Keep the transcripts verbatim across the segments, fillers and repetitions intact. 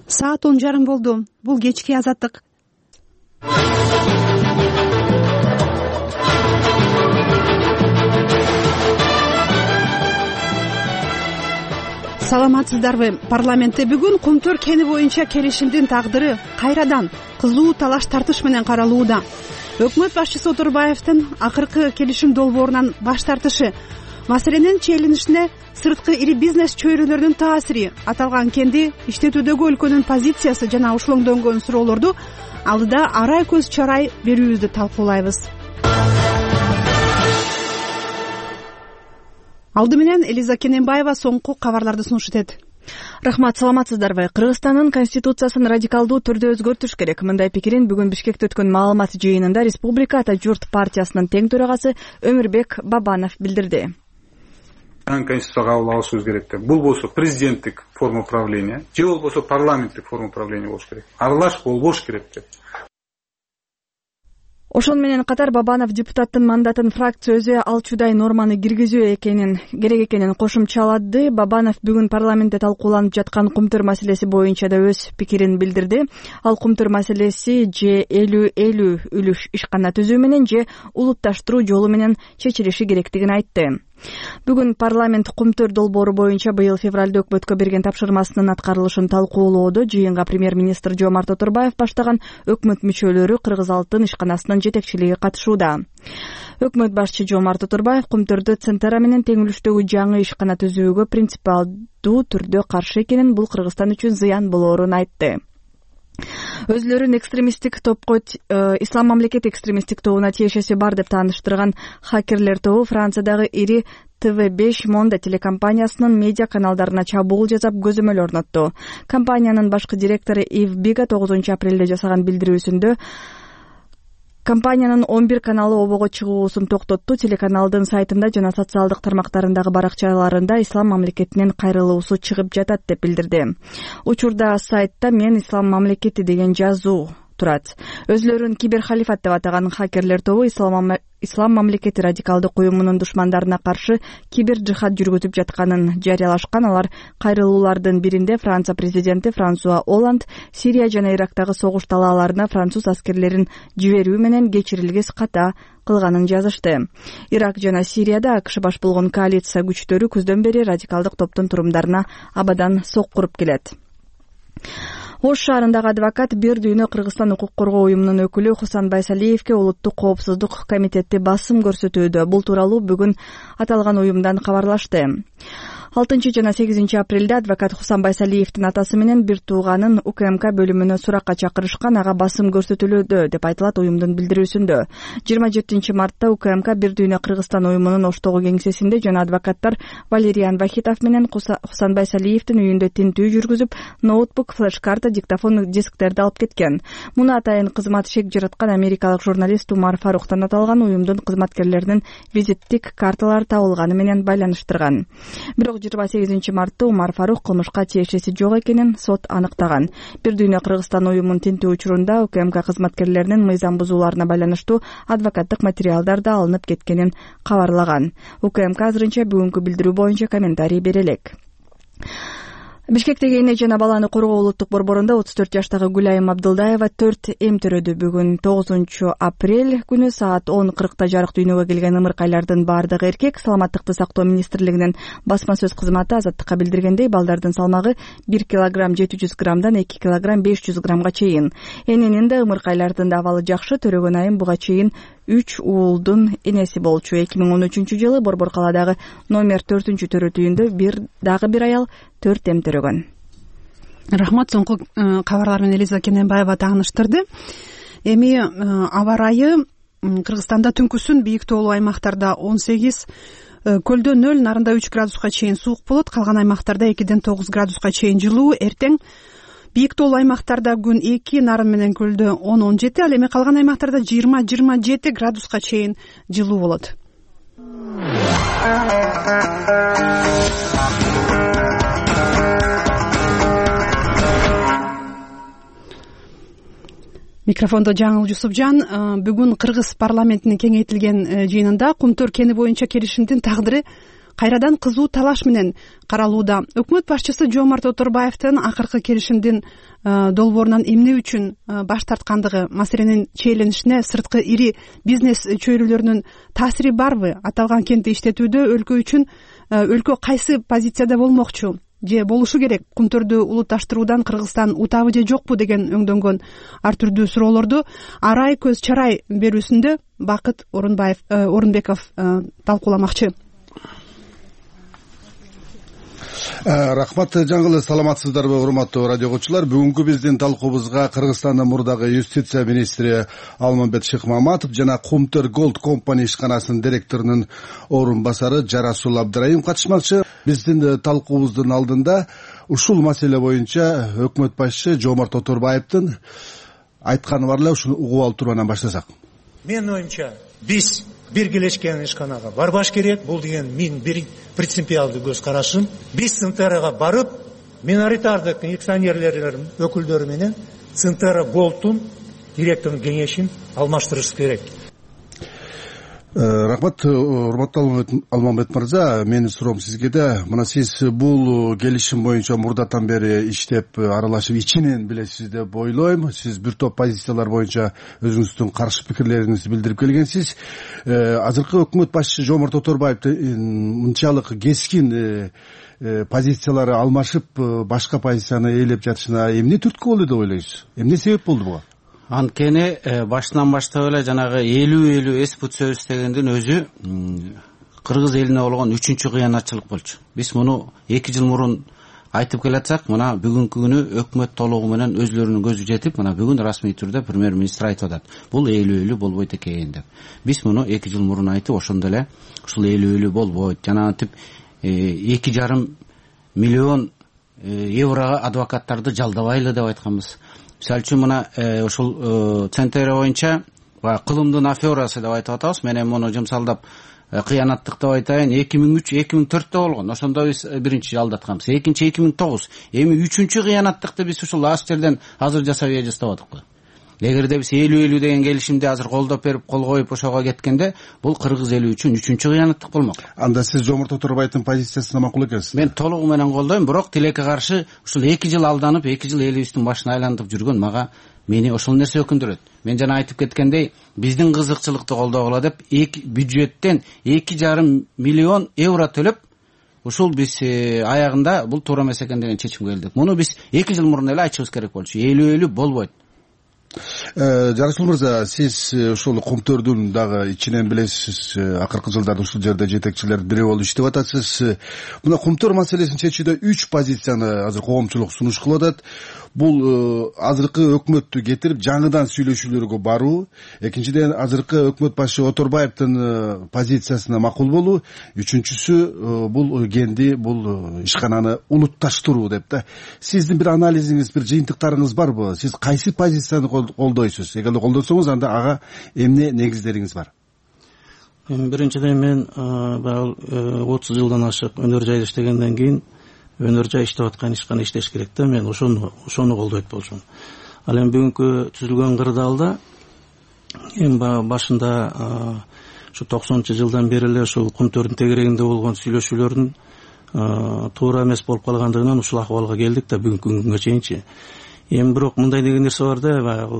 Саат он жарым болду. Бул кечки Азаттык. Саламатсыздарбы? Парламентте бүгүн Кумтөр кени боюнча келишимдин тагдыры кайрадан кызуу талаш тартыш менен каралууда. Өкмөт башчысы Отурбаевдин акыркы келишим долбоорунан баш тартышы, маселенин чейлинишине сырткы ири бизнес чөйрөлөрүнүн таасири, аталган кенди иштетүүдөгү өлкөнүн позициясы жана ушулоңдонгон суроолорду алдыда арай көз чарай берүүбүздү талкуулайбыз. Алды менен Элиза Кененбаева соңку кабарларды сунуш этет. Рахмат, саламатсыздарбы? Кыргызстандын конституциясын радикалдуу түрдө өзгөртүш керек. Мындай пикирин бүгүн Бишкекте өткөн маалымат жыйынында Республика Ата журт партиясынын тең төрагасы Өмүрбек Бабанов билдирди. Конституцияга кабыл алышыбыз керек деп. Бул болсо президенттик форма управления, же болбосо парламенттик форма управления болуш керек. Аралаш болбош керек деп. Ошон менен катар Бабанов депутаттын мандатын фракция өзү алчудай норманы киргизүү экенин керек экенин кошумчалады. Бабанов бүгүн парламентте талкууланып жаткан Кумтөр маселеси боюнча да өз пикирин билдирди. Ал Кумтөр маселеси же элүү элүү үлүш ишкана түзүү менен же улутташтыруу жолу менен чечилиши керектигин айтты. Бүгүн парламент Кумтөр долбоору боюнча быйыл февралда өкмөткө берген тапшырмасынын аткарылышын талкуулоодо. Жыйынга премьер-министр Жомарт Отурбаев баштаган өкмөт мүчөлөрү Кыргыз Алтын ишканасынын жетекчилиги катышууда. Өкмөт башчы Жомарт Отурбаев Кумтөрдө Центара менен тең үлүштөгү жаңы ишкана түзүүгө принципиалдуу түрдө каршы экенин, бул Кыргызстан үчүн зыян болоорун айтты. Өзлөрүн экстремисттик топко э, Ислам мамлекет экстремисттик тобуна тиешеси бар деп тааныштырган хакерлер тобу Франциядагы ири Т В беш Монда телекомпаниясынын медиа каналдарына чабуул жасап көзөмөл орнотту. Компаниянын башкы директору Ив Бига тогузунчу апрелде жасаган билдирүүсүндө компаниянын он бир каналы обого чыгуусун токтотту. Телеканалдын сайтында жана социалдык тармактарындагы баракчаларында ислам мамлекетинен кайрылуусу чыгып жатат деп билдирди. Учурда сайтта «Мен ислам мамлекети» деген жазуу турат. Өзлөрүн киберхалифат деп атаган хакерлер тобу ислам ислам мамлекети радикалдык уюмунун душмандарына каршы кибер жихад жүргүзүп жатканын жарыялашкан. Алар кайрылуулардын биринде Франция президенти Франсуа Олланд Сирия жана Ирактагы согуш талааларына француз аскерлерин жиберүү менен кечирилгис ката кылганын жазышты. Ирак жана Сирияда АКШ баш болгон коалиция күчтөрү күздөн бери радикалдык топтун турумдарына абадан соккуруп келет. Ош шаарындагы адвокат бир дүйнө Кыргызстан укук коргоо уюмунун өкүлү Хусан Байсалиевке улуттук коопсуздук комитети басым көрсөтүүдө. Бул тууралуу бүгүн аталган уюмдан кабарлашты. алтынчы жана сегизинчи апрелде адвокат Хусан Байсалиевдин атасы менен бир тууганын У К М К бөлүмүнө суракка чакырышкан, ага басым көрсөтүлүүдө деп айтылат уюмдун билдирүүсүндө. жыйырма жетинчи мартта У К М К бир дүйнө Кыргызстан уюмунун Оштогу кеңсесинде жана адвокаттар Валериан Вахитов менен Хусан Байсалиевдин үйүндө тинтүү жүргүзүп, ноутбук, флеш-карта, диктофон, дисктерди алып кеткен. Муну атайын кызмат шек жараткан америкалык журналист Умар Фаруктан аталган уюмдун кызматкерлеринин визиттик карталары табылганы менен байланыштырган. Бирок жыйырма сегизинчи мартта Умар Фарук кылмышка тиешеси жок экенин сот аныктаган. Бир дүйнө Кыргызстан уюмун тинтүү учурунда У К М К кызматкерлеринин мыйзам бузууларына байланыштуу адвокаттык материалдар да алынып кеткенин кабарлаган. У К М К азырынча бүгүнкү билдирүү боюнча комментарий бере элек. Бишкектеги эне жана баланы коргоо улуттук борборунда отуз төрт жаштагы Гүлайым Абдылдаева төрт эм төрөдү. Бүгүн тогузунчу апрель күнү саат он кыркта жарык дүйнөгө келген ымыркайлардын баардыгы эркек. Саламаттыкты сактоо министрлигинин басма сөз кызматы Азаттыкка билдиргендей, балдардын салмагы бир килограмм жети жүз граммдан эки килограмм беш жүз граммга чейин. Эненин да ымыркайлардын да абалы жакшы. Төрөгөн айым буга чейин үч уулдун энеси болчу. эки миң он үчүнчү жылы Борбор калаадагы номер төртүнчү төрөт үйүндө бир дагы бир аял төрт эм төрөгөн. Рахмат, соңку кабарлар менен Элиза Кененбаева тааныштырды. Эми аба ырайы Кыргызстанда түнкүсүн бийик тоолуу аймактарда он сегиз, көлдө нөл, нарында үч градуска чейин суук болот. Калган аймактарда экиден тогуз градуска чейин жылуу. Эртең бийик тоолуу аймактарда күн эки, нарын менен көлдө он он жети, ал эми калган аймактарда жыйырма жыйырма жети градуска чейин жылуу болот. Микрофондо Жаңыл Жусупжан. Бүгүн Кыргыз парламентинин кеңейтилген жыйынында Кумтөр кени боюнча келишимдин тагдыры кайрадан кызуу талаш менен каралууда. Өкмөт башчысы Жомарт Оторбаевдин акыркы келишимдин долбоорунан эмне үчүн баш тарткандыгы, маселенин чейленишине сырткы ири бизнес чөйрөлөрүнүн таасири барбы? Аталган кентти иштетүүдө өлкө үчүн өлкө кайсы позицияда болмокчу же болушу керек? Кумтөрдү улутташтыруудан Кыргызстан утабы же жокпу деген өңдөнгөн ар түрдүү суроолорду арай көз чарай берүүсүндө Бакыт Орунбаев Орунбеков талкууламакчы. Рахмат жаңгылы, саламатсыздарбы урматтуу радио угуучулар? Бүгүнкү биздин талкуубузга Кыргызстандын мурдагы юстиция министри Алмамбет Шыкмаматов жана Кумтөр Голд компани ишканасынын директорунун орун басары Жарасул Абдыраим катышмакчы. Биздин талкуубуздун алдында ушул маселе боюнча өкмөт башчысы Жомарт Оторбаевдин айтканы бар эле, ушуну угуп алып туруп анан баштасак. Менин оюмча, биз биргелешкен ишканага барбаш керек. Бул деген мен бир принципиалдуу көз карашым. Биз Центерага барып, миноритардык акционерлердин өкүлдөрү менен Центера Голдтун директорунун кеңешин алмаштырыш керек. Рахмат, урматтуу Алмамбет мырза, менин суроом сизге да. Мына сиз бул келишим боюнча мурдатан бери иштеп аралашып ичинен билесиз деп ойлойм. Сиз бир топ позициялар боюнча өзүңүздүн каршы пикирлериңизди билдирип келгенсиз. Азыркы өкмөт башчысы Жомарт Оторбаев мынчалык кескин позициялары алмашып башка позицияны ээлеп жатышына эмне түрткү болду деп ойлойсуз? Эмне себеп болду буга? Анткени башынан баштап эле жанагы элүү элүү эспут сөз дегендин өзү кыргыз элине болгон үчүнчү кыянатчылык болчу. Биз муну эки жыл мурун айтып келатсак, мына бүгүнкү күнү өкмөт толугу менен өзлөрүнүн көзү жетип, мына бүгүн расмий түрдө премьер-министр айтып атат. Бул элүү элүү болбойт экен деп. Биз муну эки жыл мурун айтып, ошондо эле ушул элүү элүү болбойт. Жанагынтип эки жарым миллион еврого адвокаттарды жалдабайлы деп айтканбыз. Мисалы үчүн мына ушул Центер боюнча кылымдын аферасы деп айтып атабыз. Менен муну жумсалдап кыянаттык деп айтайын, эки миң үч эки миң төрттө болгон. Ошондо биз биринчи жалдатканбыз. Экинчи эки миң тогуз. Эми үчүнчү кыянаттыкты биз ушул аз жерден азыр жасап эже жатабадыкпы? Эгерде биз элүү элүү деген келишимди азыр колдоп берип, кол коюп ошого кеткенде, бул кыргыз эли үчүн үчүнчү кыянаттык болмок. Анда сиз Жомарт Оторбаевдин позициясына макул экенсиз? Мен толугу менен колдойм, бирок тилекке каршы ушул эки жыл алданып, эки жыл элибиздин башын айлантып жүргөн мага мени ошол нерсе өкүндүрөт. Мен жана айтып кеткендей, биздин кызыкчылыкты колдогула деп эки бюджеттен эки жарым миллион евро төлөп, ушул биз аягында бул туура эмес экен деген чечимге келдик. Муну биз эки жыл мурун эле айтышыбыз керек болчу. элүү элүү болбойт. Жарасул мырза, сиз ушул Кумтөрдүн дагы ичинен билесиз, акыркы жылдарда ушул жерде жетекчилердин бири болуп иштеп атасыз. Мына Кумтөр маселесин чечүүдө үч позицияны азыр коомчулук сунуш кылып атат. Бул азыркы өкмөттү кетирип жаңыдан сүйлөшүүлөргө баруу, экинчиден азыркы өкмөт башчы Оторбаевдин позициясына макул болуу, үчүнчүсү бул кенди, бул ишкананы улутташтыруу деп да. Сиздин бир анализиңиз, бир жыйынтыктарыңыз барбы? Сиз кайсы позицияны колдойсуз? Эгер колдосоңуз, анда ага эмне негиздериңиз бар? Биринчиден мен баягы отуз жылдан ашык өнөр жайда иштегенден кийин өнөр жай иштеп аткан ишкана иштеш керек да. Мен ошону ошону колдойт болчумун. Ал эми бүгүнкү түзүлгөн кырдаалда эми башында ушу токсонунчу жылдан бери эле ушул Кумтөрдүн тегерегинде болгон сүйлөшүүлөрдүн туура эмес болуп калгандыгынан ушул акыбалга келдик да бүгүнкү күнгө чейинчи. Эми бирок мындай деген нерсе бар да, баягы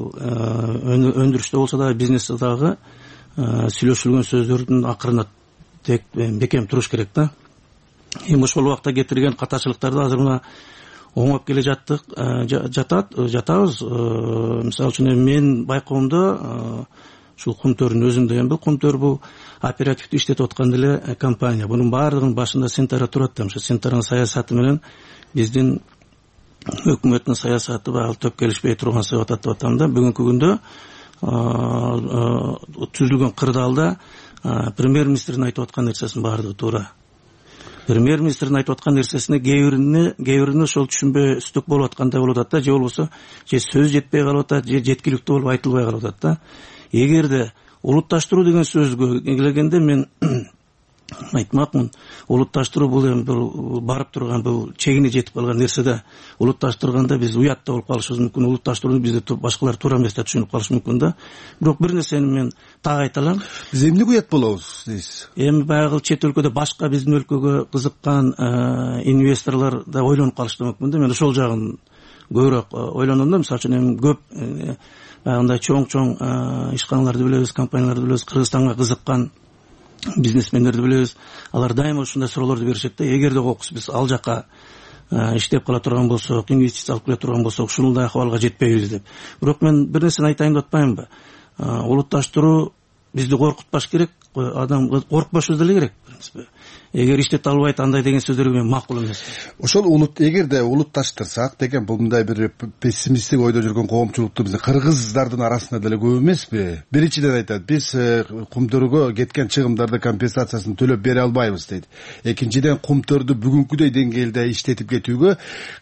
өндүрүштө болсо да, бизнесте дагы сүйлөшүлгөн сөздөрдүн акырына тек бекем туруш керек да. Эми ошол убакта кетирген катачылыктарды азыр мына оңоп келе жаттык, жатат, жатабыз. Мисалы үчүн мен байкоомдо ушул Кумтөрдүн өзүндө эми бул Кумтөр бул оперативдүү иштетип аткан деле компания. Бунун баардыгынын башында Центера турат да. Ошо Центеранын саясаты менен биздин өкмөттүн саясаты баягы төп келишпей турган себеп атап атам да. Бүгүнкү күндө түзүлгөн кырдаалда премьер-министрдин айтып аткан нерсесинин баардыгы туура. Премьер-министрдин айтып аткан нерсесине кээ бирини кээ бирини ошол түшүнбөстүк болуп аткандай болуп атат да, же болбосо же сөз жетпей калып атат, же жеткиликтүү болуп айтылбай калып атат да. Эгерде улутташтыруу деген сөзгө келгенде мен айтмакмын, улутташтыруу бул эми бул барып турган, бул чегине жетип калган нерсе да. Улутташтырганда биз уят да болуп калышыбыз мүмкүн, улутташтырууну бизде башкалар туура эмес деп түшүнүп калышы мүмкүн да. Бирок бир нерсени мен так айта алам. Биз эмне уят болобуз дейсиз? Эми баягы чет өлкөдө башка биздин өлкөгө кызыккан инвесторлор да ойлонуп калышы мүмкүн да. Мен ошол жагын көбүрөөк ойлоном да. Мисалы үчүн эми көп баягындай чоң-чоң ишканаларды билебиз, компанияларды билебиз, Кыргызстанга кызыккан бизнесмендерди билебиз. Алар дайыма ушундай суроолорду беришет да. Эгерде кокус биз ал жака иштеп кала турган болсок, инвестиция алып келе турган болсок, ушундай акыбалга жетпейбиз деп. Бирок мен бир нерсени айтайын деп атпаймынбы? Улутташтыруу бизди коркутпаш керек, адам коркпошубуз деле керек, в принципе. Эгер иштете албайт андай деген сөздөргө мен макул эмес. Ошол улут эгерде улутташтырсак деген бул мындай бир пессимисттик ойдо жүргөн коомчулукту биздин кыргыздардын арасында деле көп эмеспи? Биринчиден айтат, биз кумтөргө кеткен чыгымдарды компенсациясын төлөп бере албайбыз дейт. Экинчиден, кумтөрдү бүгүнкүдөй деңгээлде иштетип кетүүгө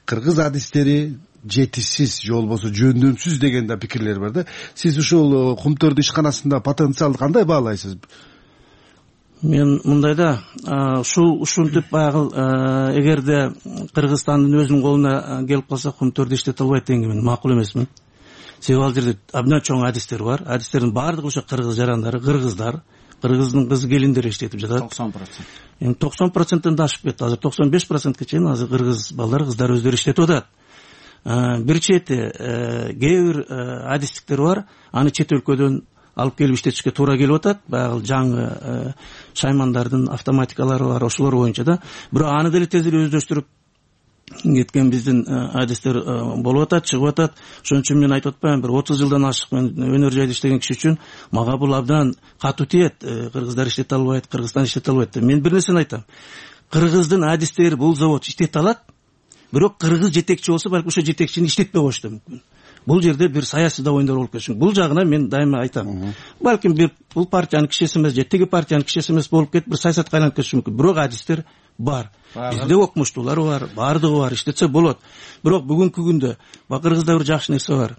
кыргыз адистери жетишсиз же болбосо жөндөмсүз деген да пикирлер бар да. Сиз ушул кумтөрдү ишканасында потенциалды кандай баалайсыз? Мен мындай да, ушул ушинтип баягы эгерде Кыргызстандын өзүнүн колуна келип калса кумтөрдү иштете албайт дегенге мен макул эмесмин. Себеби ал жерде абдан чоң адистер бар. Адистердин баардыгы ошо кыргыз жарандары, кыргыздар, кыргыздын кыз келиндери иштетип жатат. токсон процент. Эми токсон проценттен да ашып кетти. Азыр токсон беш процентке чейин азыр кыргыз балдар, кыздар өздөрү иштетип атат. Бир чети кээ бир адистиктер бар, аны чет өлкөдөн алып келип иштетишке туура келип атат. Баягы жаңы шаймандардын автоматикалары бар, ошолор боюнча да. Бирок аны деле тез эле өздөштүрүп кеткен биздин адистер болуп атат, чыгып атат. Ошон үчүн мен айтып атпаймынбы, бир отуз жылдан ашык мен өнөр жайда иштеген киши үчүн мага бул абдан катуу тиет. Кыргыздар иштете албайт, Кыргызстан иштете албайт деп. Мен бир нерсени айтам. Кыргыздын адистери бул завод иштете алат, бирок кыргыз жетекчи болсо балким ошо жетекчини иштетпей коюшу да мүмкүн. Бул жерде бир саясий да оюндар болуп кетиши мүмкүн. Бул жагына мен дайыма айтам. Балким бир бул партиянын кишиси эмес же тиги партиянын кишиси эмес болуп кетип, бир саясатка айланып кетиши мүмкүн. Бирок адистер бар. Бизде окумуштуулар бар, баардыгы бар, иштетсе болот. Бирок бүгүнкү күндө кыргызда бир жакшы нерсе бар.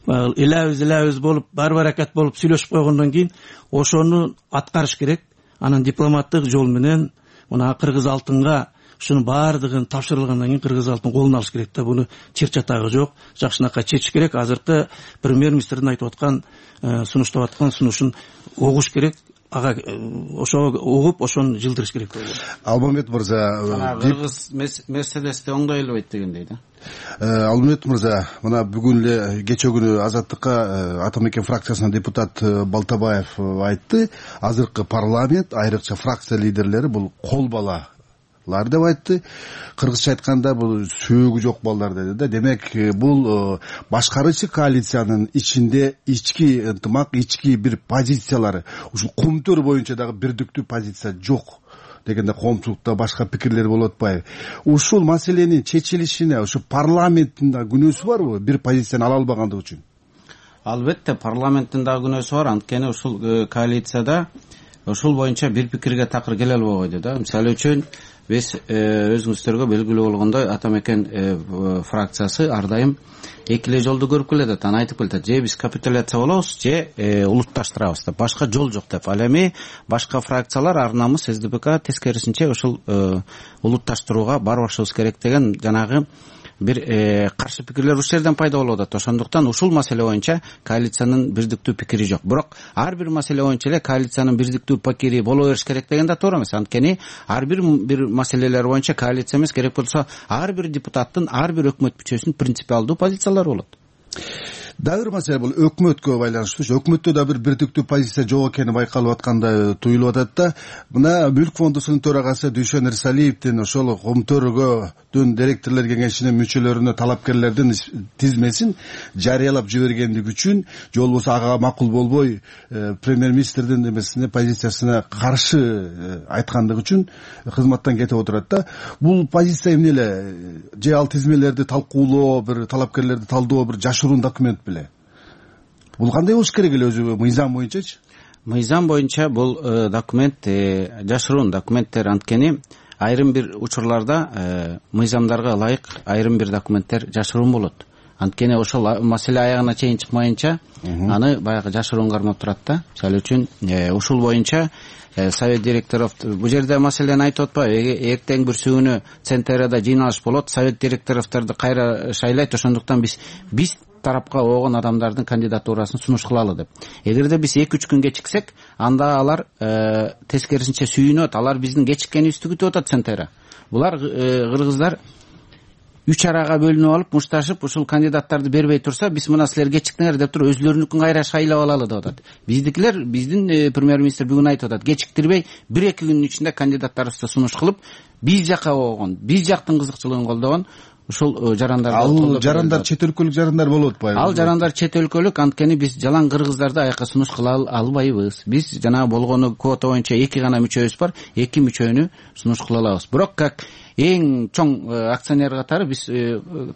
Элебиз элебиз болуп, бар баракат болуп сүйлөшүп койгондон кийин ошону аткарыш керек. Анан дипломаттык жол менен мына кыргыз алтынга ушунун баардыгын тапшырылгандан кийин кыргыз алтын колуна алыш керек да. Буну чыр-чатагы жок, жакшынакай чечиш керек. Азыркы премьер-министрдин айтып аткан, сунуштап аткан сунушун угуш керек. Ага ошо угуп, ошону жылдырыш керек. Алмамет мырза, кыргыз мерседести оңдой элбейт дегендей да. Алмамет мырза, мына бүгүн эле кечээ күнү Азаттыкка Атамекен фракциясынын депутат Балтабаев айтты. Азыркы парламент, айрыкча фракция лидерлери бул кол бала лар деп айтты. Кыргызча айтканда бул сөөгү жок балдар деди да. Демек бул башкаруучу коалициянын ичинде ички ынтымак, ички бир позициялары, ушул кумтөр боюнча дагы бирдиктүү позиция жок дегенде коомчулукта башка пикирлер болуп атпайбы? Ушул маселенин чечилишине ушу парламенттин да күнөөсү барбы, бир позицияны ала албагандыгы үчүн? Албетте парламенттин да күнөөсү бар. Анткени ушул коалицияда ушул боюнча бир пикирге такыр келе албабайды да. Мисалы үчүн биз өзүңүздөргө белгилүү болгондой Атамекен фракциясы ар дайым эки эле жолду көрүп келет. Аны айтып келет, же биз капитуляция болобуз, же улутташтырабыз деп. Башка жол жок деп. Ал эми башка фракциялар ар намыс СДПК тескерисинче ушул улутташтырууга барбашыбыз керек деген жанагы бир каршы пикирлер ушул жерден пайда болуп атат. Ошондуктан ушул маселе боюнча коалициянын бирдиктүү пикири жок. Бирок ар бир маселе боюнча эле коалициянын бирдиктүү пикири боло бериш керек деген да туура эмес. Анткени ар бир бир маселелер боюнча коалиция эмес, керек болсо ар бир депутаттын, ар бир өкмөт мүчөсүнүн принципиалдуу позициялары болот. Дагы бир маселе бул өкмөткө байланыштуу. Өкмөттө да бир бирдиктүү позиция жок экени байкалып аткандай туюлуп атат да. Мына Мүлк фондусунун төрагасы Дүйшөн Ирсалиевдин ошол Кумтөргөдүн директорлор кеңешинин мүчөлөрүнө талапкерлердин тизмесин жарыялап жибергендиги үчүн, же болбосо ага макул болбой премьер-министрдин эмесине, позициясына каршы айткандыгы үчүн кызматтан кетип отурат да. Бул позиция эмне эле? Же ал тизмелерди талкуулоо, бир талапкерлерди талдоо бир жашыруун документ беле? Бул кандай болуш керек эле өзү мыйзам боюнчачы? Мыйзам боюнча бул документ жашыруун документтер. Анткени айрым бир учурларда мыйзамдарга ылайык айрым бир документтер жашыруун болот. анткени ошол маселе аягына чейин чыкмайынча аны баягы жашыруун кармап турат да. Мисалы үчүн ушул боюнча совет директоров бул жерде маселени айтып атпайбы, эртең бүрсүгүнү Центрада жыйналыш болот, совет директоровторду кайра шайлайт, ошондуктан биз биз тарапка болгон адамдардын кандидатурасын сунуш кылалы деп. Эгерде биз эки үч күн кечиксек, анда алар тескерисинче сүйүнөт, алар биздин кечиккенибизди күтүп атат Центра. Булар кыргыздар үч арага бөлүнүп алып, мушташып, ушул кандидаттарды бербей турса, биз мына силер кечиктиңер деп туруп өзлөрүнүкүн кайра шайлап алалы деп атат. Биздикилер, биздин премьер-министр бүгүн айтып атат, кечиктирбей бир эки күндүн ичинде кандидаттарыбызды сунуш кылып, биз жака болгон, биз жактын кызыкчылыгын колдогон ушул жарандарды. Ал жарандар чет өлкөлүк жарандар болуп атпайбы? Ал жарандар чет өлкөлүк, анткени биз жалаң кыргыздарды аяка сунуш кыла албайбыз. Биз жанагы болгону квота боюнча эки гана мүчөбүз бар, эки мүчөнү сунуш кыла алабыз. Бирок как эң чоң акционер катары биз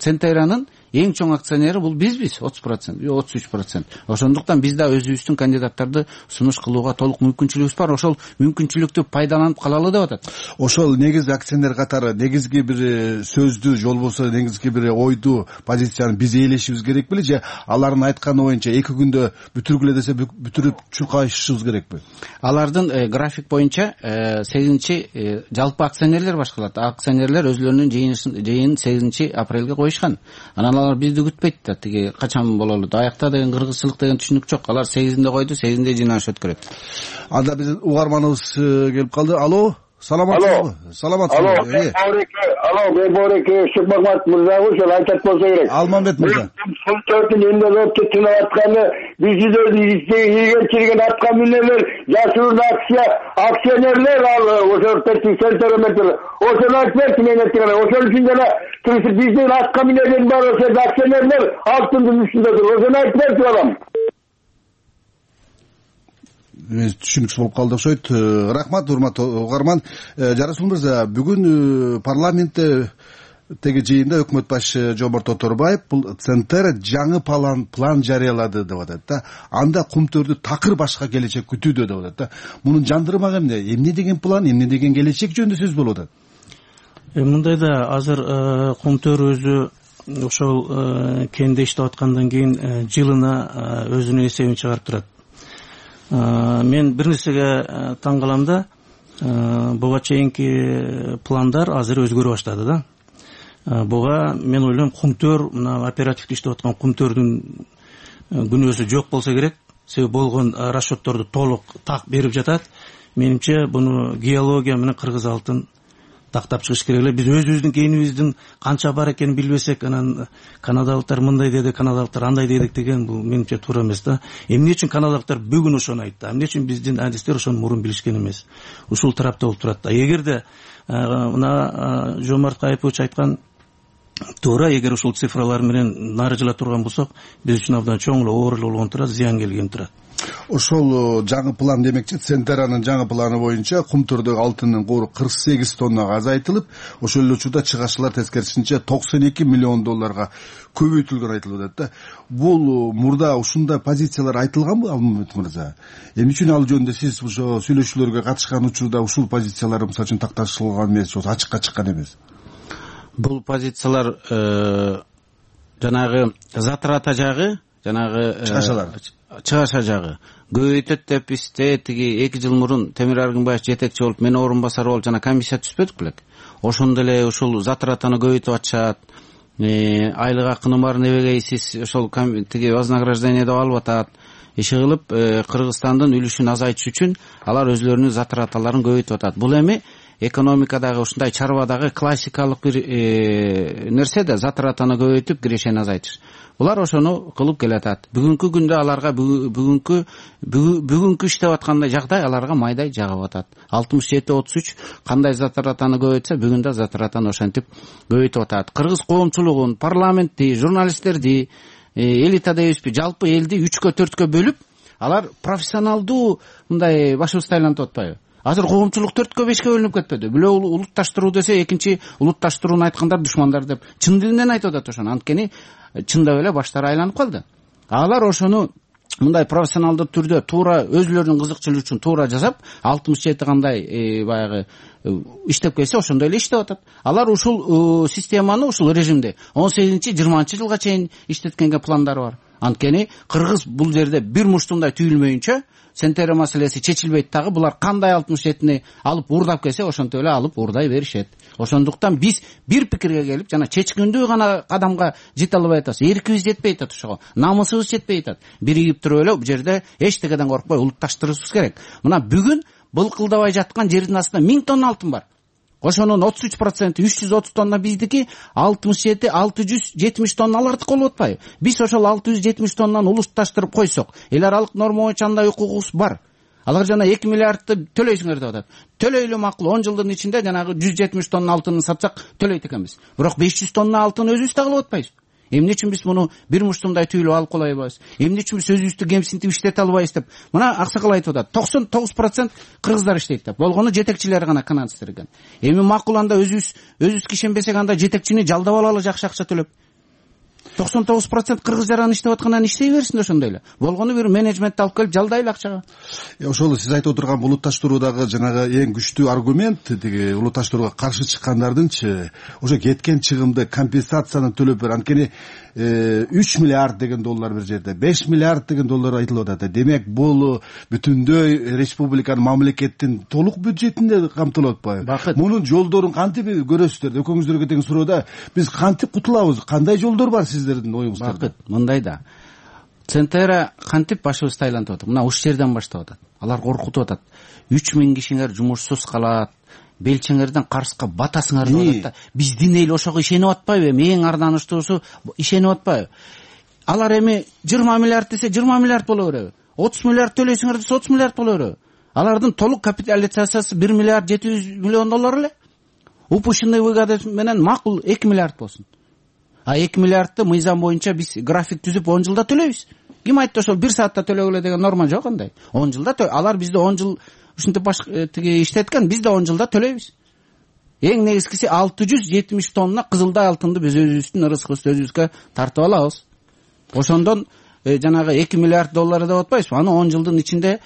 Центранын эң чоң акционери бул бизбиз, отуз процент, отуз үч процент. Ошондуктан биз да өзүбүздүн кандидаттарды сунуш кылууга толук мүмкүнчүлүгүбүз бар. Ошол мүмкүнчүлүктү пайдаланып калалы деп атат. Ошол негизги акционер катары негизги бир сөздү, же болбосо негизги бир ойду, позицияны биз ээлешибиз керек беле, же алардын айтканы боюнча эки күндө бүтүргүлө десе бүтүрүп чуркашыбыз керекпи? Алардын график боюнча сегизинчи жалпы акционерлер башкарат. Акционерлер өзлөрүнүн жыйынын сегизинчи апрелге коюшкан. Анан алар бизди күтпөйт да, тиги качан бололу, аякта деген кыргызчылык деген түшүнүк жок. Алар сегизинде койду, сегизинде жыйналыш өткөрөт. Анда биздин угарманыбыз келип калды. Алло, саламатсызбы? Саламатсызбы? Алло, Бейбореке Шыкмамат мырзабы, ошол айтат болсо керек. Алмамбет мырза. Султөрдүн эмнелеп тынып атканы, биздин ийгенчилигин аткан мүнөлөр, жашыруун акция, акционерлер ал ошол Центр, ошону айтып берчи мен айткан. Ошол үчүн жана биздин аткан мүнөлөр бар, ошол акционерлер алтындын үстүндөдүр. Ошону айтып берчи балам. Түшүнүксүз болуп калды окшойт. Рахмат, урматтуу угарман. Жарасул мырза, бүгүн парламентте теги жыйында өкмөт башы Жомарт Оторбаев бул Центр жаңы план план жарыялады деп атат да. Анда Кумтөрдү такыр башка келечек күтүүдө деп атат да. Мунун жандырмак эмне? Эмне деген план, эмне деген келечек жөнүндө сөз болуп атат? Мындай да, азыр Кумтөр өзү ошол кенде иштеп аткандан кийин жылына өзүнүн эсебин чыгарып турат. Мен бир нерсеге таң калам да, буга чейинки пландар азыр өзгөрө баштады да. Буга мен ойлойм Кумтөр, мына оперативдик иштеп аткан Кумтөрдүн күнөөсү жок болсо керек. Себеби болгон расчетторду толук так берип жатат. Менимче буну геология менен кыргыз алтын тактап чыгыш керек эле. Биз өзүбүздүн кенибиздин канча бар экенин билбесек, анан канадалыктар мындай деди, канадалыктар андай дедик деген бул менимче туура эмес да. Эмне үчүн канадалыктар бүгүн ошону айтты? Эмне үчүн биздин адистер ошону мурун билишкен эмес? Ушул тарапта болуп турат да. Эгерде мына Жомарт Кайыпович айткан туура, эгер ушул цифралар менен нары жыла турган болсок, биз үчүн абдан чоң эле оор болгон турат, зыян келген турат. Ошол жаңы план демекчи, Центранын жаңы планы боюнча Кумтөрдөгү алтындын кууру кырк сегиз тоннага азайтылып, ошол эле учурда чыгашчылар тескерисинче токсон эки миллион долларга көбөйтүлгөн айтылып атат да. Бул мурда ушундай позициялар айтылганбы, Алмамбет мырза? Эмне үчүн ал жөнүндө сиз ошо сүйлөшүүлөргө катышкан учурда ушул позициялар мисалы үчүн такташылган эмес, ачыкка чыккан эмес? Бул позициялар жанагы затрата жагы, жанагы чыгашалар чыгаша жагы көбөйтөт деп бизде тиги эки жыл мурун Темир Аргынбаев жетекчи болуп, мен орун басар болуп жана комиссия түзбөдүк белек. Ошондо эле ушул затратаны көбөйтүп атышат. Айлык акынын баарын эбегей сиз ошол тиги вознаграждение деп алып атат. Иши кылып Кыргызстандын үлүшүн азайтыш үчүн алар өзлөрүнүн затраталарын көбөйтүп атат. Бул эми экономикадагы ушундай чарбадагы классикалык бир нерсе да, затратаны көбөйтүп кирешени азайтыш. Булар ошону кылып келатат. Бүгүнкү күндө аларга бүгүнкү бүгүнкү иштеп аткандай жагдай аларга майдай жагып атат. алтымыш жети отуз үч кандай затратаны көбөйтсө, бүгүн да затратаны ошентип көбөйтүп атат. Кыргыз коомчулугун, парламентти, журналисттерди, элита дейбизби, жалпы элди үчкө төрткө бөлүп, алар профессионалдуу мындай башыбызды айлантып атпайбы? Азыр коомчулук төрткө бешке бөлүнүп кетпеди. Бирөө улутташтыруу десе, экинчи улутташтырууну айткандар душмандар деп чын дилинен айтып атат ошону. Анткени чындап эле баштары айланып калды. Алар ошону мындай профессионалдуу түрдө туура өзүлөрүнүн кызыкчылыгы үчүн туура жасап, алтымыш жети кандай баягы иштеп келсе ошондой эле иштеп атат. Алар ушул системаны, ушул режимди он сегизинчи жыйырманчы жылга чейин иштеткенге пландары бар. Анткени кыргыз бул жерде бир муштумдай түйүлмөйүнчө Центерия маселеси чечилбейт дагы. Булар кандай алтымыш жетини алып уурдап келсе, ошентип эле алып уурдай беришет. Ошондуктан биз бир пикирге келип, жана чечкиндүү гана кадамга жете албай атабыз. Эркибиз жетпей атат ошого. Намысыбыз жетпей атат. Биригип туруп эле бул жерде эчтекеден коркпой улутташтырышыбыз керек. Мына бүгүн былкылдабай жаткан жердин астында миң тонна алтын бар. Ошонун отуз үч проценти үч жүз отуз тонна биздики, алтымыш жети алты жүз жетимиш тонна алардыкы болуп атпайбы? Биз ошол алты жүз жетимиш тоннаны улутташтырып койсок, эл аралык норма боюнча андай укугубуз бар. Алар жана эки миллиардты төлөйсүңөр деп атат. Төлөйлү макул, он жылдын ичинде жанагы жүз жетимиш тонна алтынын сатсак төлөйт экенбиз. Бирок беш жүз тонна алтын өзүбүз да кылып атпайбыз. Эмне үчүн биз муну бир муштумдай түйүлүп алып кала албайбыз? Эмне үчүн биз өзүбүздү кемсинтип иштете албайбыз деп. Мына аксакал айтып атат. токсон тогуз процент кыргыздар иштейт деп. Болгону жетекчилер гана канадыстыр экен. Эми макул анда өзүбүз өзүбүз ишенбесек анда жетекчини жалдап алалы жакшы акча төлөп. токсон тогуз процент кыргыз жаран иштеп аткандан иштей берсин ошондой эле. Болгону бир менеджментти алып келип жалдайлы акчага. Ошол сиз айтып отурган улутташтыруудагы жанагы эң күчтүү аргумент тиги улутташтырууга каршы чыккандардынчы ошо кеткен чыгымды компенсацияны төлөп бер. Анткени үч миллиард деген доллар бир жерде, беш миллиард деген доллар айтылып атат. Демек бул бүтүндөй республиканын, мамлекеттин толук бюджетинде камтылып атпайбы? Мунун жолдорун кантип көрөсүздөр? Экөөңүздөргө тең суроодо биз кантип кутулабыз? Кандай жолдор бар сиздердин оюңуздарда? Бакыт, мындай да. Центрия кантип башыбызды айлантып атат? Мына ушул жерден баштап атат. Алар коркутуп атат. үч миң кишиңер жумушсуз калат. Белчеңерден карызга батасыңар деп атат да. Биздин эл ошого ишенип атпайбы? Эми эң арданыштуусу ишенип атпайбы? Алар эми жыйырма миллиард десе жыйырма миллиард боло береби? отуз миллиард төлөйсүңөр десе отуз миллиард боло береби? Алардын толук капитализациясы бир миллиард жети жүз миллион доллар эле. Упущенный выгода менен макул эки миллиард болсун. А эки миллиардты мыйзам боюнча биз график түзүп он жылда төлөйбүз. Ким айтты ошол бир саатта төлөгүлө деген норма жок андай. он жылда алар бизде он жыл ушинтип тиги иштеткен, биз да он жылда төлөйбүз. Эң негизгиси алты жүз жетимиш тонна кызылдай алтынды биз өзүбүздүн ырысыбызды өзүбүзгө тартып алабыз. Ошондон жанагы эки миллиард доллар деп атпайбызбы? Аны он жылдын ичинде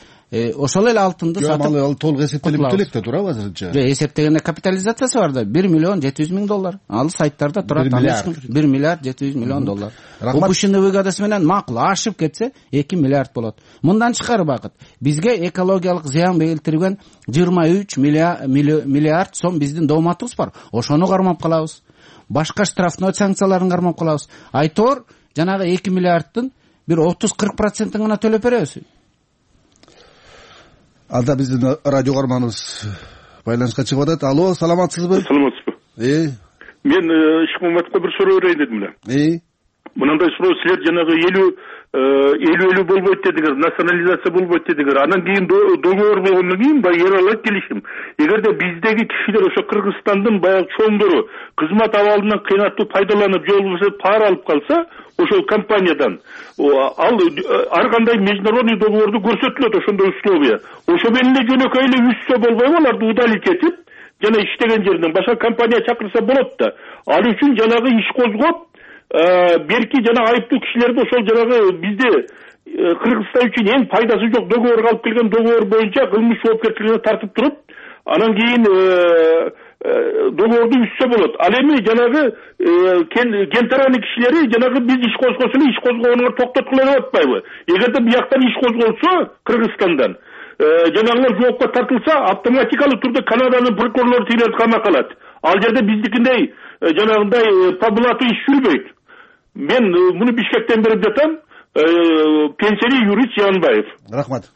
ошол эле алтынды сатып ал толук эсептелип төлөйт да турабы азырынча? Жок, эсептегенде капитализациясы бар да, бир миллион жети жүз миң доллар. Ал сайттарда турат, бир миллиард жети жүз миллион доллар. Упущенный выгодасы менен макул ашып кетсе эки миллиард болот. Мындан тышкары Бакыт, бизге экологиялык зыян келтирген жыйырма үч миллиард сом биздин дооматыбыз бар. Ошону кармап калабыз. Башка штрафной санкцияларын кармап калабыз. Айтор жанагы эки миллиардтын бир отуз кырк процентин гана төлөп беребиз. Анда биздин радио каарманыбыз байланышка чыгып атат. Алло, саламатсызбы? Саламатсызбы. Э. Мен Ишмаматовго бир суроо берейин дедим эле. Э. Мындай суроо, силер жанагы элүү элүү болбойт дедиңер, национализация болбойт дедиңер. Анан кийин договор болгондон кийин баягы эралат келишим. Эгерде биздеги кишилер ошо Кыргызстандын баягы чоңдору кызмат абалынан кыйнаттуу пайдаланып, же болбосо пара алып калса, ошол компаниядан ал ар кандай международный договорду көрсөтүлөт ошондой условия. Ошо менен эле жөнөкөй эле үзсө болбойбу, аларды удалить этип, жана иштеген жеринен башка компания чакырса болот да. Ал үчүн жанагы иш козгоп, берки жана айыптуу кишилерди ошол жанагы бизде Кыргызстан үчүн эң пайдасы жок договорго алып келген договор боюнча кылмыш жоопкерчилигине тартып туруп, анан кийин договорду үзсө болот. Ал эми жанагы кентараны кишилери жанагы биз иш козгосо эле иш козгогонуңар токтоткула деп атпайбы? Эгерде бияктан иш козголсо Кыргызстандан, жанагылар жоопко тартылса, автоматикалык түрдө Канаданын прокурорлору тигилерди камакка алат. Ал жерде биздикиндей жанагындай по блату иш жүрбөйт. Мен муну Бишкектен берип жатам. Пенсионер юрист Жанбаев. Рахмат.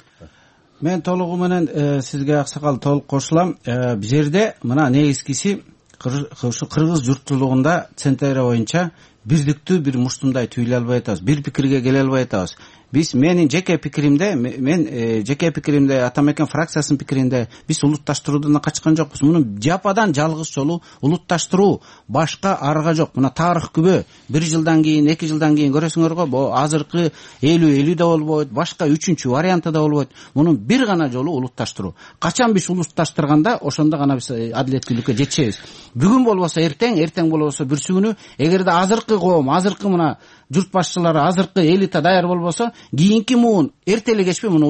Мен толугу менен сизге аксакал толук кошулам. Бул жерде мына негизгиси кыргыз журтчулугунда Центрия боюнча бирдиктүү бир муштумдай түйүлө албай атабыз, бир пикирге келе албай атабыз. Биз менин жеке пикиримде, мен жеке пикиримде, Атамекен фракциясынын пикиринде биз улутташтыруудан качкан жокпуз. Муну жападан жалгыз жолу улутташтыруу, башка арга жок. Мына тарых күбө, бир жылдан кийин, эки жылдан кийин көрөсүңөр го, бу азыркы элүү элүү да болбойт, башка үчүнчү варианты да болбойт. Мунун бир гана жолу улутташтыруу. Качан биз улутташтырганда, ошондо гана биз адилеттүүлүккө жетишебиз. Бүгүн болбосо эртең, эртең болбосо бүрсү күнү, эгерде азыркы азыркы коом, азыркы мына журт башчылары, азыркы элита даяр болбосо, кийинки муун эрте эле кечпей муну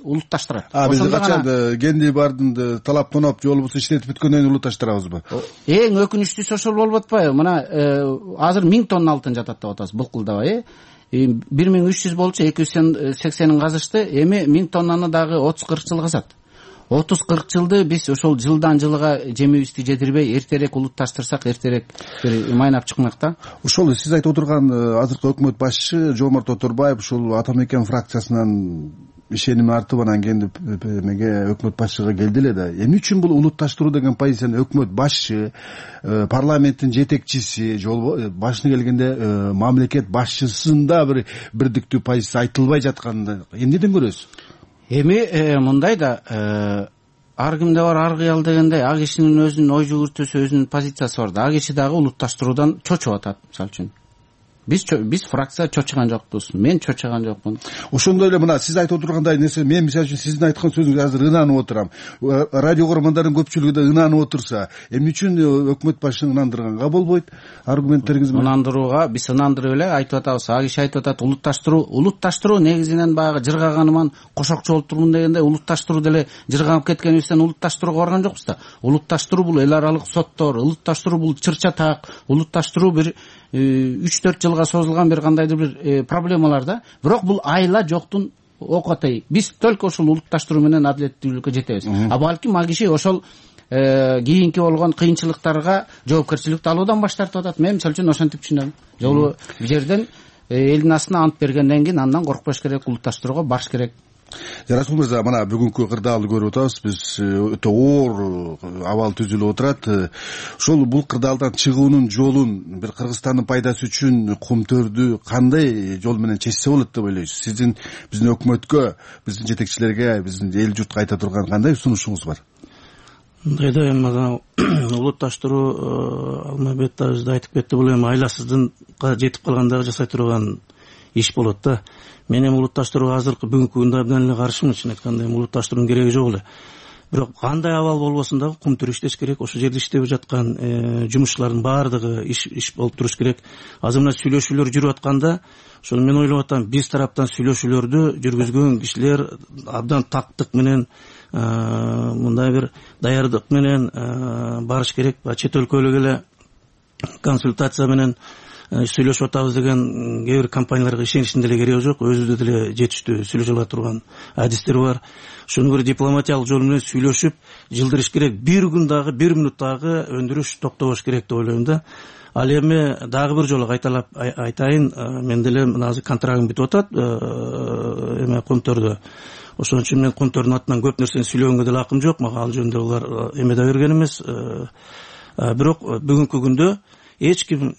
улутташтырат. А биз качан кенди бардым талап тоноп же болбосо иштетип бүткөндөн кийин улутташтырабызбы? Эң өкүнүчтүүсү ошол болуп атпайбы? Мына азыр миң тонна алтын жатат деп атабыз былкылдабай, э бир миң үч жүз болчу, эки жүз сексенин казышты, эми миң тоннаны дагы отуз кырк жыл казат. отуз кырк жылды биз ошол жылдан жылга жемибизди жедирбей эртерээк улутташтырсак, эртерээк бир майнап чыкмак да. Ошол сиз айтып отурган азыркы өкмөт башчы Жомарт Оторбаев ушул Ата Мекен фракциясынан ишеними артып анан кенди эмеге өкмөт башчыга келди эле да. Эмне үчүн бул улутташтыруу деген позицияны өкмөт башчы, парламенттин жетекчиси, жол башына келгенде мамлекет башчысында бир бирдиктүү позиция айтылбай жатканында эмнеден көрөсүз? Эми мындай да, ар кимде бар ар кыял дегендей, ак кишинин өзүнүн ой жүгүртүүсү, өзүнүн позициясы бар да. Ак киши дагы улутташтыруудан чочуп атат, мисалы үчүн. Биз биз фракция чочуган жокпуз. Мен чочуган жокмун. Ошондой эле мына сиз айтып отургандай нерсе, мен мисалы үчүн сиздин айткан сөзүңүзгө азыр ынанып отурам. Радио көрөрмандардын көпчүлүгү да ынанып отурса, эмне үчүн өкмөт башчыны ынандырганга болбойт? Аргументтериңиз менен. Ынандырууга биз ынандырып эле айтып атабыз. А киши айтып атат, улутташтыруу, улутташтыруу негизинен баягы жыргаганыман кошокчу болуп турмун дегенде, улутташтыруу деле жырганып кеткенибизден улутташтырууга барган жокпуз да. Улутташтыруу бул эл аралык соттор, улутташтыруу бул чырча так, улутташтыруу бир үч төрт жылга созулган бир кандайдыр бир проблемалар да. Бирок бул айла жоктун окотой. Биз только ушул улутташтыруу менен адилеттүүлүккө жетебиз. А балким ак киши ошол кийинки болгон кыйынчылыктарга жоопкерчиликти алуудан баш тартып атат. Мен мисалы үчүн ошентип түшүнөм. Жолу жерден элдин астына ант бергенден кийин андан коркпош керек, улутташтырууга барыш керек. Расул мырза, мына бүгүнкү кырдаалды көрүп атабыз. Биз өтө оор абал түзүлүп отурат. Ошол бул кырдаалдан чыгуунун жолун бир Кыргызстандын пайдасы үчүн кумтөрдү кандай жол менен чечсе болот деп ойлойсуз? Сиздин биздин өкмөткө, биздин жетекчилерге, биздин эл журтка айта турган кандай сунушуңуз бар? Мындай да, эми улутташтыруу Алмайбек дагы айтып кетти, бул эми айласыздыкка жетип калганда жасай турган иш болот да. Мен эми улутташтырууга азыркы бүгүнкү күндө абдан эле каршымын, чын айтканда. Эми улутташтыруунун кереги жок эле. Бирок кандай абал болбосун дагы кумтөр иштеш керек. Ошол жерде иштеп жаткан жумушчулардын баардыгы иш иш болуп туруш керек. Азыр мына сүйлөшүүлөр жүрүп атканда, ошону мен ойлоп атам, биз тараптан сүйлөшүүлөрдү жүргүзгөн кишилер абдан тактык менен, мындай бир даярдык менен барыш керек. Чет өлкөлүк эле консультация менен сүйлөшүп атабыз деген кээ бир компанияларга ишеничтин деле кереги жок. Өзүбүздө деле жетиштүү сүйлөшө ала турган адистер бар. Ошону бир дипломатиялык жол менен сүйлөшүп жылдырыш керек. Бир күн дагы, бир минут дагы өндүрүш токтобош керек деп ойлойм да. Ал эми дагы бир жолу кайталап айтайын, мен деле мына азыр контрагым бүтүп атат эме кумтөрдө. Ошон үчүн мен кумтөрдүн атынан көп нерсени сүйлөгөнгө деле акым жок. Мага ал жөнүндө булар эме да берген эмес. Бирок бүгүнкү күндө эч ким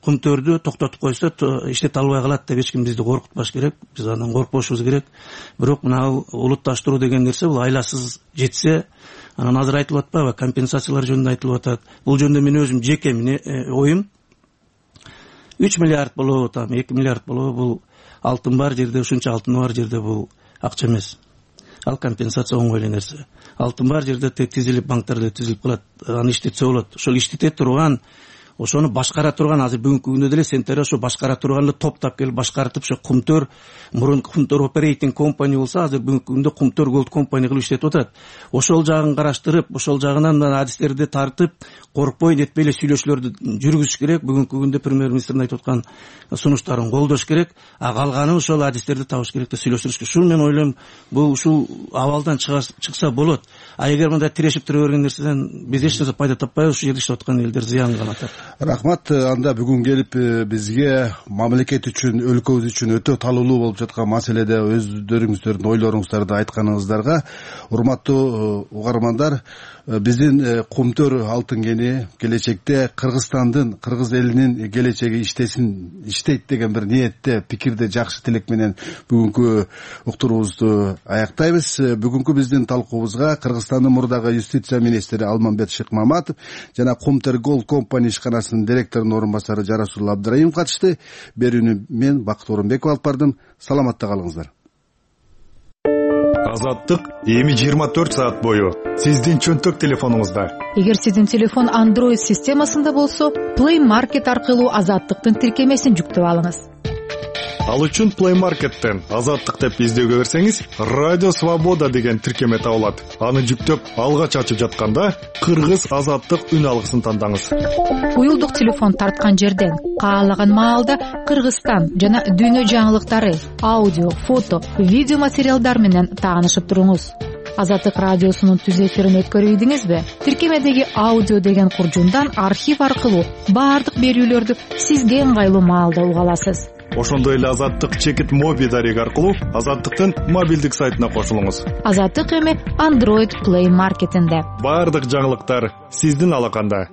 кумтөрдү токтотуп койсо иштете албай калат деп эч ким бизди коркутпаш керек. Биз андан коркпошубуз керек. Бирок мына улутташтыруу деген нерсе бул айласыз жетсе, анан азыр айтылып атпайбы, компенсациялар жөнүндө айтылып атат. Бул жөнүндө мен өзүм жеке оюм үч миллиард болобу, там эки миллиард болобу, бул алтын бар жерде, ушунча алтын бар жерде бул акча эмес. Ал компенсация оңой эле нерсе. Алтын бар жерде тизилип, банктарда тизилип калат, аны иштетсе болот. Ошол иштете турган, ошону башкара турган, азыр бүгүнкү күндө деле сентер ошо башкара турганды топтап келип башкартып, ошо кумтөр, мурун кумтөр оперейтинг компания болсо, азыр бүгүнкү күндө кумтөр голд компания кылып иштетип атат. Ошол жагын караштырып, ошол жагынан адистерди тартып, коркпой нетпей эле сүйлөшүүлөрдү жүргүзүш керек. Бүгүнкү күндө премьер-министрдин айтып аткан сунуштарын колдош керек. А калганын ошол адистерди табыш керек да сүйлөштүрүш керек. Ушул мен ойлойм, бул ушул абалдан чыкса болот. А эгер мындай тирешип тура берген нерседен биз эч нерсе пайда таппайбыз, ушул жерде иштеп аткан элдер зыян калат. Рахмат. Анда бүгүн келип бизге мамлекет үчүн, өлкөбүз үчүн өтө талуулуу болуп жаткан маселеде өздөрүңүздөрдүн ойлоруңуздарды айтканыңыздарга, урматтуу угармандар, биздин кумтөр алтын кени келечекте Кыргызстандын, кыргыз элинин келечеги иштесин, иштейт деген бир ниетте, пикирде, жакшы тилек менен бүгүнкү уктуруубузду аяктайбыз. Бүгүнкү биздин талкуубузга Кыргызстандын мурдагы юстиция министри Алмамбет Шыкмаматов жана Кумтөр голд компания ишканасынын директорунун орун басары Жарасул Абдыраимов катышты. Берүүнү мен Бакыт Орунбеков алып бардым. Саламатта калыңыздар. Азаттык эми жыйырма төрт саат бою сиздин чөнтөк телефонуңузда. Эгер сиздин телефон Android системасында болсо, Play Market аркылуу Азаттыктын тиркемесин жүктөп алыңыз. Ал үчүн Play Market'тен Азаттык деп издөөгө берсеңиз, Радио Свобода деген тиркеме табылат. Аны жүктөп алгач ачып жатканда Кыргыз Азаттык үн алгысын тандаңыз. Уюлдук телефон тарткан жерден каалаган маалда Кыргызстан жана дүйнө жаңылыктары, аудио, фото, видео материалдар менен таанышып туруңуз. Азаттык радиосунун түз эфирин өткөрүп ийдиңизби? Тиркемедеги аудио деген куржундан архив аркылуу баардык берүүлөрдү сизге ыңгайлуу маалда уга аласыз. Ошондой эле Азаттык чекит моби дареги аркылуу Азаттыктын мобилдик сайтына кошулуңуз. Азаттык эми Android Play Market'инде. Баардык жаңылыктар сиздин алаканда.